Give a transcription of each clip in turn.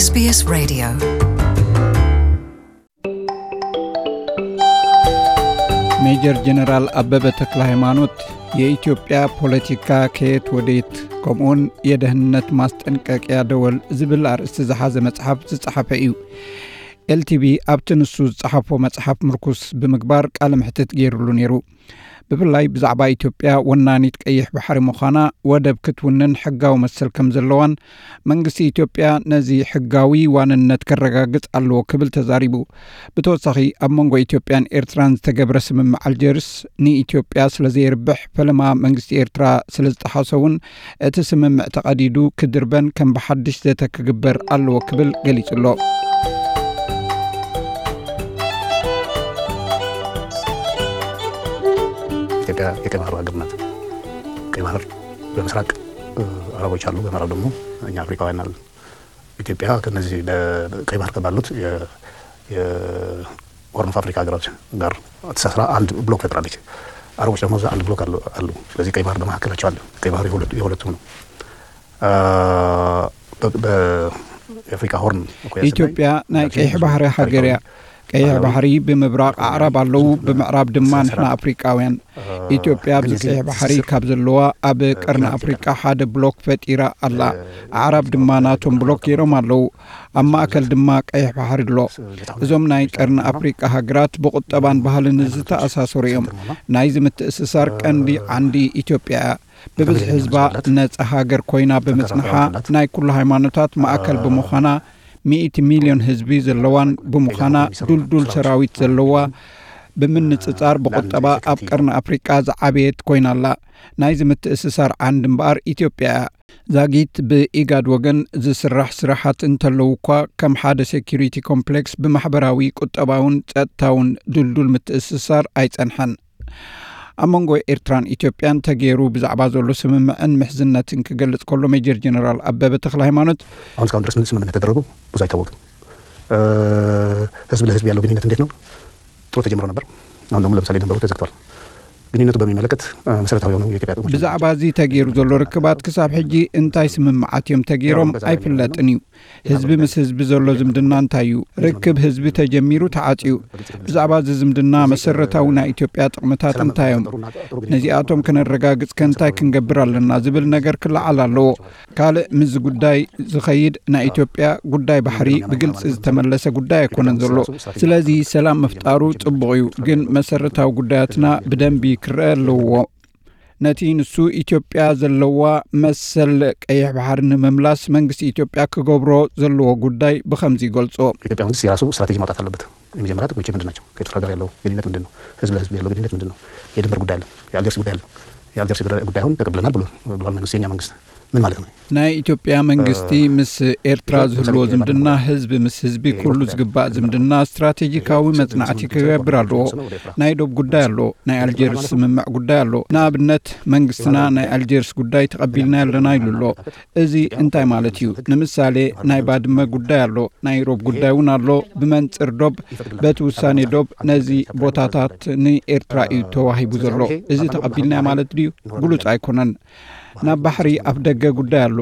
SBS Radio. ሜጀር ጀነራል ኣበበ ተክለ ሃይማኖት የኢትዮጵያ ፖለቲካ ከየት ወዴት ከምኡውን የደህንነት ማስጠንቀቂያ ደወል ዝብል ኣርእስቲ ዝሓዘ መጽሓፍ ዝጸሓፈ እዩ። ኤልቲቪ ኣብቲ ንሱ ዝጸሓፎ መጽሓፍ ምርኩስ ብምግባር ቃለ መሕትት ገይሩሉ ነይሩ። ብፍላይ ብዛዕባ ኢትዮጵያ ወናኒት ቀይሕ ባሕሪ ምዃና፣ ወደብ ክትውንን ሕጋዊ መሰል ከም ዘለዋን መንግስቲ ኢትዮጵያ ነዚ ሕጋዊ ዋንነት ከረጋግጽ ኣለዎ ክብል ተዛሪቡ። ብተወሳኺ ኣብ መንጎ ኢትዮጵያን ኤርትራን ዝተገብረ ስምምዕ ኣልጀርስ ንኢትዮጵያ ስለ ዘየርብሕ፣ ፈለማ መንግስቲ ኤርትራ ስለ ዝጠሓሶ እውን እቲ ስምምዕ ተቐዲዱ ክድርበን ከም ብሓድሽ ዘተ ክግበር ኣለዎ ክብል ገሊጹ ኣሎ። ኢትዮጵያ የቀይ ባህር ሀገር ናት። ቀይ ባህር በምስራቅ አረቦች አሉ፣ በምዕራብ ደግሞ እኛ አፍሪካውያን አሉ። ኢትዮጵያ ከነዚህ በቀይ ባህር ከባሉት የሆርን ኦፍ አፍሪካ ሀገራት ጋር ተሳስራ አንድ ብሎክ ፈጥራለች። አረቦች ደግሞ እዛ አንድ ብሎክ አሉ። ስለዚህ ቀይ ባህር በመካከላቸው አለ። ቀይ ባህር የሁለቱም ነው። በአፍሪካ ሆርን ኢትዮጵያ ናይ ቀይሕ ባህሪ ሃገር እያ። ቀይሕ ባሕሪ ብምብራቕ ኣዕራብ ኣለዉ፣ ብምዕራብ ድማ ንሕና ኣፍሪቃውያን። ኢትዮጵያ ኣብዚ ቀይሕ ባሕሪ ካብ ዘለዋ ኣብ ቀርኒ ኣፍሪቃ ሓደ ብሎክ ፈጢራ ኣላ። ኣዕራብ ድማ ናቶም ብሎክ ገይሮም ኣለዉ። ኣብ ማእከል ድማ ቀይሕ ባሕሪ ኣሎ። እዞም ናይ ቀርኒ ኣፍሪቃ ሃገራት ብቁጠባን ባህልን ዝተኣሳሰሩ እዮም። ናይዚ ምትእስሳር ቀንዲ ዓንዲ ኢትዮጵያ እያ። ብብዝሒ ህዝባ ነጻ ሃገር ኮይና ብምጽንሓ፣ ናይ ኩሉ ሃይማኖታት ማእከል ብምዃና፣ ሚእቲ ሚልዮን ህዝቢ ዘለዋን ብምዃና፣ ዱልዱል ሰራዊት ዘለዋ፣ ብምንጽጻር ብቁጠባ ኣብ ቀርኒ ኣፍሪቃ ዝዓበየት ኮይና ኣላ። ናይዚ ምትእስሳር ዓንዲ እምበኣር ኢትዮጵያ እያ። ዛጊት ብኢጋድ ወገን ዝስራሕ ስራሓት እንተለዉ እኳ፣ ከም ሓደ ሴኩሪቲ ኮምፕሌክስ ብማሕበራዊ፣ ቁጠባውን ጸጥታውን ድልዱል ምትእስሳር ኣይጸንሐን። ኣብ መንጎ ኤርትራን ኢትዮጵያን ተገይሩ ብዛዕባ ዘሎ ስምምዕን ምሕዝነትን ክገልጽ ከሎ፣ ሜጀር ጀነራል ኣበበ ተክለ ሃይማኖት፣ አሁን እስካሁን ድረስ ምን ስምምነት ተደረጉ ብዙ አይታወቅም። ህዝብ ለህዝብ ያለው ግንኙነት እንዴት ነው? ጥሩ ተጀምሮ ነበር። አሁን ደግሞ ለምሳሌ ድንበሩ ተዘግቷል። ግንኙነቱ በሚመለከት መሰረታዊ የሆኑ የኢትዮጵያ ጥቅሞች ብዛዕባ እዚ ተገይሩ ዘሎ ርክባት ክሳብ ሕጂ እንታይ ስምምዓት እዮም ተገይሮም ኣይፍለጥን እዩ። ህዝቢ ምስ ህዝቢ ዘሎ ዝምድና እንታይ እዩ? ርክብ ህዝቢ ተጀሚሩ ተዓጽዩ። ብዛዕባ እዚ ዝምድና መሰረታዊ ናይ ኢትዮጵያ ጥቕምታት እንታይ እዮም? ነዚኣቶም ከነረጋግጽ ከ እንታይ ክንገብር ኣለና ዝብል ነገር ክለዓል ኣለዎ። ካልእ ምስዚ ጉዳይ ዝኸይድ ናይ ኢትዮጵያ ጉዳይ ባሕሪ ብግልጺ ዝተመለሰ ጉዳይ ኣይኮነን ዘሎ። ስለዚ ሰላም ምፍጣሩ ጽቡቕ እዩ፣ ግን መሰረታዊ ጉዳያትና ብደንቢ ክረአ ኣለዎ። ነቲ ንሱ ኢትዮጵያ ዘለዋ መሰል ቀይሕ ባሕሪ ንምምላስ መንግስቲ ኢትዮጵያ ክገብሮ ዘለዎ ጉዳይ ብኸምዚ ይገልጾ። ኢትዮጵያ መንግስት የራሱ ስትራቴጂ ማውጣት አለበት። የመጀመሪያ ጥቅሞች ምንድን ናቸው? ከኤርትራ ጋር ያለው ግንኙነት ምንድን ነው? ህዝብ ለህዝብ ያለው ግንኙነት ምንድን ነው? የድንበር ጉዳይ አለ፣ የአልጀርስ ጉዳይ አለ። የአልጀርስ ጉዳይ አሁን ተቀብለናል ብሎ ብሏል መንግስት፣ የኛ መንግስት ምን ማለት ነው? ናይ ኢትዮጵያ መንግስቲ ምስ ኤርትራ ዝህልዎ ዝምድና ህዝቢ ምስ ህዝቢ ኩሉ ዝግባእ ዝምድና ስትራቴጂካዊ መጽናዕቲ ክገብር ኣለዎ። ናይ ዶብ ጉዳይ ኣሎ፣ ናይ ኣልጀርስ ስምምዕ ጉዳይ ኣሎ። ንኣብነት መንግስትና ናይ ኣልጀርስ ጉዳይ ተቐቢልና ኣለና ኢሉ ኣሎ። እዚ እንታይ ማለት እዩ? ንምሳሌ ናይ ባድመ ጉዳይ ኣሎ፣ ናይ ሮብ ጉዳይ እውን ኣሎ። ብመንጽር ዶብ በቲ ውሳኔ ዶብ ነዚ ቦታታት ንኤርትራ እዩ ተዋሂቡ ዘሎ። እዚ ተቐቢልናዮ ማለት ድዩ? ግሉጽ ኣይኮነን። ናብ ባሕሪ ኣፍ ደገ ጉዳይ ኣሎ።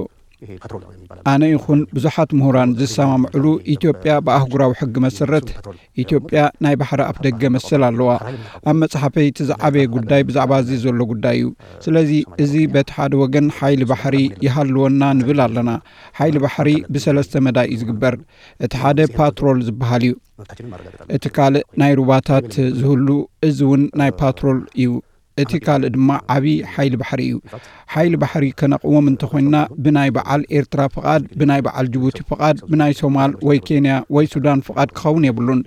ኣነ ይኹን ብዙሓት ምሁራን ዝሰማምዕሉ ኢትዮጵያ ብኣህጉራዊ ሕጊ መሰረት ኢትዮጵያ ናይ ባሕሪ ኣፍ ደገ መሰል ኣለዋ። ኣብ መጽሓፈይ እቲ ዝዓበየ ጉዳይ ብዛዕባ እዚ ዘሎ ጉዳይ እዩ። ስለዚ እዚ በቲ ሓደ ወገን ሓይሊ ባሕሪ ይሃልወና ንብል ኣለና። ሓይሊ ባሕሪ ብሰለስተ መዳይ እዩ ዝግበር። እቲ ሓደ ፓትሮል ዝበሃል እዩ። እቲ ካልእ ናይ ሩባታት ዝህሉ፣ እዚ እውን ናይ ፓትሮል እዩ። እቲ ካልእ ድማ ዓቢ ሓይሊ ባሕሪ እዩ። ሓይሊ ባሕሪ ከነቕውም እንተኾይንና ብናይ በዓል ኤርትራ ፍቓድ፣ ብናይ በዓል ጅቡቲ ፍቓድ፣ ብናይ ሶማል ወይ ኬንያ ወይ ሱዳን ፍቓድ ክኸውን የብሉን።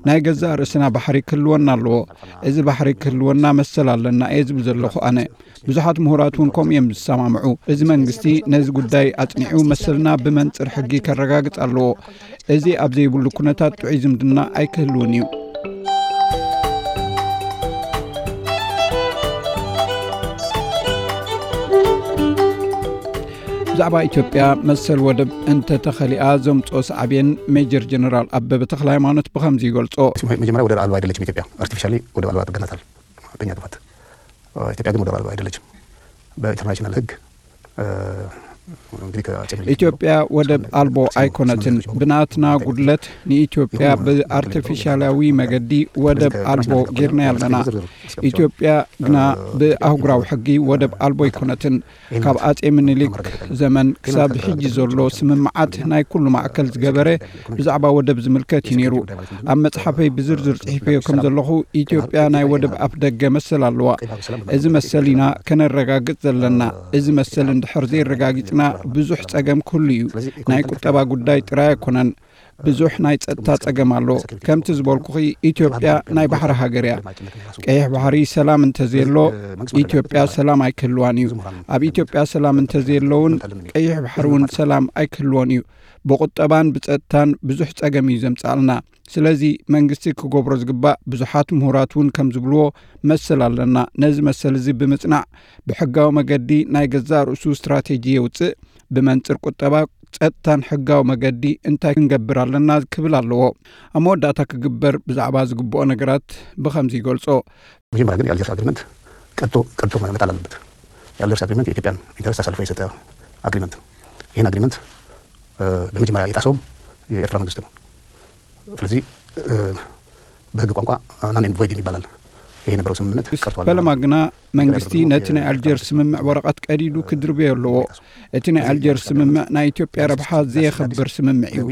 ናይ ገዛእ ርእስና ባሕሪ ክህልወና ኣለዎ። እዚ ባሕሪ ክህልወና መሰል ኣለና እየ ዝብል ዘለኹ ኣነ። ብዙሓት ምሁራት እውን ከምኡ እዮም ዝሰማምዑ። እዚ መንግስቲ ነዚ ጉዳይ ኣጽኒዑ መሰልና ብመንጽር ሕጊ ከረጋግጽ ኣለዎ። እዚ ኣብ ዘይብሉ ኩነታት ጥዑይ ዝምድና ኣይክህልውን እዩ። ብዛዕባ ኢትዮጵያ መሰል ወደብ እንተተኸሊኣ ዘምፅኦ ሳዕቤን ሜጀር ጀነራል ኣበበ ተኽለ ሃይማኖት ብኸምዚ ይገልጾ። መጀመሪያ ወደብ አልባ አይደለችም ኢትዮጵያ፣ አርቲፊሻሊ ወደብ አልባ አድርገናታል። በእኛ ጥፋት ኢትዮጵያ ግን ወደብ አልባ አይደለችም። በኢንተርናሽናል ህግ ኢትዮጵያ ወደብ ኣልቦ ኣይኮነትን። ብናትና ጉድለት ንኢትዮጵያ ብኣርቲፊሻላዊ መገዲ ወደብ ኣልቦ ጌርና ኣለና። ኢትዮጵያ ግና ብኣህጉራዊ ሕጊ ወደብ ኣልቦ ኣይኮነትን። ካብ ኣጼ ምኒልክ ዘመን ክሳብ ሕጂ ዘሎ ስምምዓት ናይ ኩሉ ማእከል ዝገበረ ብዛዕባ ወደብ ዝምልከት እዩ ነይሩ። ኣብ መጽሓፈይ ብዝርዝር ጽሒፈዮ ከም ዘለኹ፣ ኢትዮጵያ ናይ ወደብ ኣፍ ደገ መሰል ኣለዋ። እዚ መሰል ኢና ከነረጋግጽ ዘለና። እዚ መሰል እንድሕር ዘይረጋጊጽና፣ ብዙሕ ጸገም ክህሉ እዩ። ናይ ቁጠባ ጉዳይ ጥራይ ኣይኮነን። ብዙሕ ናይ ጸጥታ ጸገም ኣሎ። ከምቲ ዝበልኩኺ፣ ኢትዮጵያ ናይ ባሕሪ ሃገር እያ። ቀይሕ ባሕሪ ሰላም እንተዘየሎ፣ ኢትዮጵያ ሰላም ኣይክህልዋን እዩ። ኣብ ኢትዮጵያ ሰላም እንተዘየሎ እውን፣ ቀይሕ ባሕሪ እውን ሰላም ኣይክህልዎን እዩ። ብቁጠባን ብጸጥታን ብዙሕ ጸገም እዩ ዘምጽኣልና። ስለዚ መንግስቲ ክገብሮ ዝግባእ፣ ብዙሓት ምሁራት እውን ከም ዝብልዎ፣ መሰል ኣለና። ነዚ መሰል እዚ ብምጽናዕ፣ ብሕጋዊ መገዲ ናይ ገዛእ ርእሱ ስትራቴጂ የውጽእ። ብመንጽር ቁጠባ፣ ጸጥታን ሕጋዊ መገዲ እንታይ ክንገብር ኣለና ክብል ኣለዎ። ኣብ መወዳእታ ክግበር ብዛዕባ ዝግብኦ ነገራት ብኸምዚ ይገልጾ። መጀመሪያ ግን የአልጀርስ አግሪመንት ቀጥቶ ቀጥቶ መጣል አለበት። የአልጀርስ አግሪመንት የኢትዮጵያን ኢንተረስት አሳልፎ የሰጠ አግሪመንት ነው። ይህን አግሪመንት በመጀመሪያ የጣሰውም የኤርትራ መንግስት ነው። ስለዚህ በህግ ቋንቋ non and void ይባላል። ይሄ የነበረው ስምምነት ቀርቷል። ፈለማ ግና መንግስቲ ነቲ ናይ ኣልጀርስ ስምምዕ ወረቐት ቀዲዱ ክድርበዮ ኣለዎ። እቲ ናይ ኣልጀርስ ስምምዕ ናይ ኢትዮጵያ ረብሓ ዘየኸብር ስምምዕ እዩ።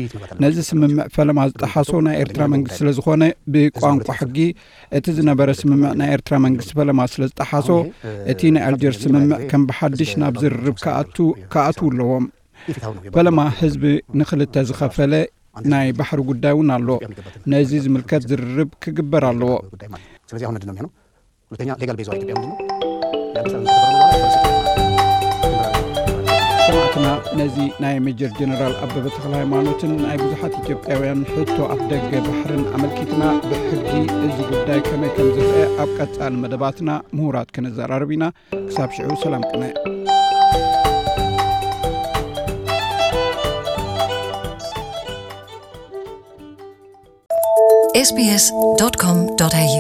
ነዚ ስምምዕ ፈለማ ዝጠሓሶ ናይ ኤርትራ መንግስቲ ስለ ዝኾነ፣ ብቋንቋ ሕጊ እቲ ዝነበረ ስምምዕ ናይ ኤርትራ መንግስቲ ፈለማ ስለ ዝጠሓሶ፣ እቲ ናይ ኣልጀርስ ስምምዕ ከም ብሓድሽ ናብ ዝርርብ ክኣቱ ኣለዎም። ፈለማ ህዝቢ ንኽልተ ዝኸፈለ ናይ ባሕሪ ጉዳይ እውን ኣሎ። ነዚ ዝምልከት ዝርርብ ክግበር ኣለዎ። ስለዚህ አሁን ምንድን ነው የሚሆነው? ሁለተኛ ሌጋል ቤዝ ኢትዮጵያ ምንድን ነው? ሰማዕትና፣ ነዚ ናይ ሜጀር ጀነራል ኣበበ ተኽለ ሃይማኖትን ናይ ብዙሓት ኢትዮጵያውያን ሕቶ ኣፍ ደገ ባሕርን ኣመልኪትና፣ ብሕጊ እዚ ጉዳይ ከመይ ከም ዝረአ ኣብ ቀጻሊ መደባትና ምሁራት ከነዘራርብ ኢና። ክሳብ ሽዑ ሰላም ቅነ። ኤስቢኤስ ዶት ኮም ዶት ኤዩ